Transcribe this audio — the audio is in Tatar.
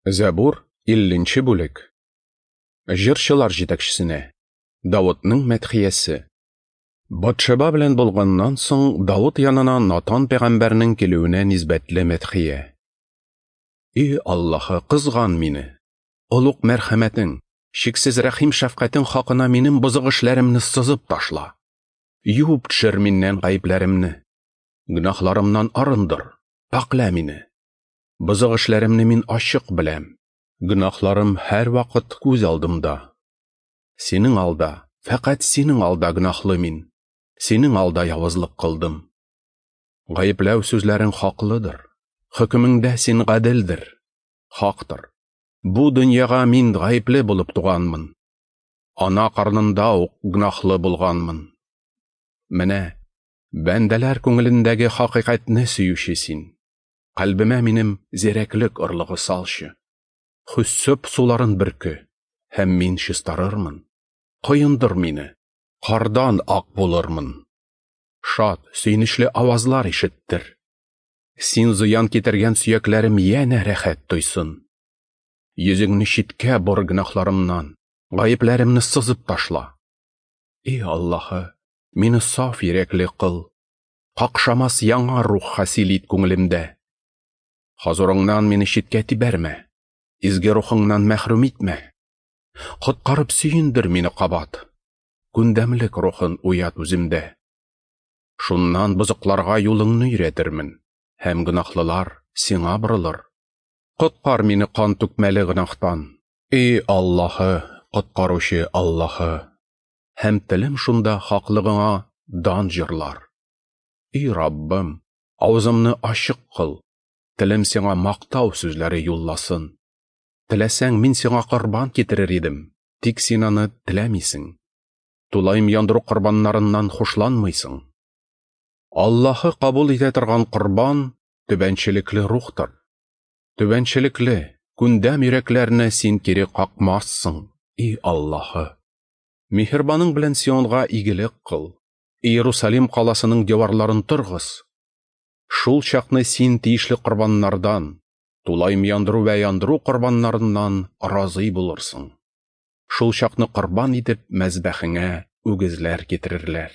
Зәбур, 50 бүлек. Җырчылар җитәкчесенә. Давытның мәдхиясе. Батшеба белән булганнан соң Давыт янына Натан пәйгамбәрнең килүенә нисбәтле мәдхия. И Аллаһы, кызган мине. Олуг мәрхәмәтең, чиксез рәхим-шәфкатең хакына минем бозык эшләремне сызып ташла. Юып төшер миннән гаепләремне. Гөнаһларымнан арындыр, пакьлә мине. Бозык эшләремне мин ачык беләм. Гөнаһларым һәрвакыт күз алдымда. Синең алда, фәкать синең алда гөнаһлы мин. Синең алда явызлык кылдым. Гаепләү сүзләрең хаклыдыр. Хөкемеңдә син гаделдер. Хактыр. Бу дөньяга мин гаепле булып туганмын. Ана карнында ук гөнаһлы булганмын. Менә бәндәләр күңелендәге хакыйкатьне сөюче син. Кальбемә минем зирәклек орлыгы салчы. Хиссоп суларын бөрке, һәм мин чистарырмын. Коендыр мине, кардан ак булырмын. Шат, сөенечле авазлар ишеттер. Син зыян китергән сөякләрем янә рәхәт тойсын. Йөзеңне читкә бор гөнаһларымнан, гаепләремне сызып ташла. И Аллаһы, мине саф йөрәкле кыл. Какшамас яңа рух хасил ит күңелемдә. Хозурыңнан мине читкә тибәрмә, изге рухыңнан мәхрүм итмә. Коткарып сөендер мине кабат, күндәмлек рухын уят үземдә. Шуннан бозыкларга юлыңны өйрәтермен, һәм гөнаһлылар сиңа борылыр. Коткар мине кан түкмәле гөнаһтан. И Аллаһы, коткаручы Аллаһы! Һәм телем шунда хаклыгыңа дан җырлар. И Раббым, авызымны ачык кыл, телем сиңа мактау сүзләре юлласын. Теләсәң, мин сиңа корбан китерер идем, тик син аны теләмисең. Тулаем яндыру корбаннарыннан хушланмыйсың. Аллаһы кабул итә торган корбан түбәнчелекле рухтыр. Түбәнчелекле, күндәм йөрәкләрне син кире какмассың, и Аллаһы. Миһербаның белән Сионга игелек кыл. Иерусалим каласының диварларын торгыз. Шул чакны син тиешле корбаннардан, тулаем яндыру вә яндыру корбаннарыннан разый булырсың. Шул чакны корбан итеп мәзбәхеңә үгезләр китерерләр.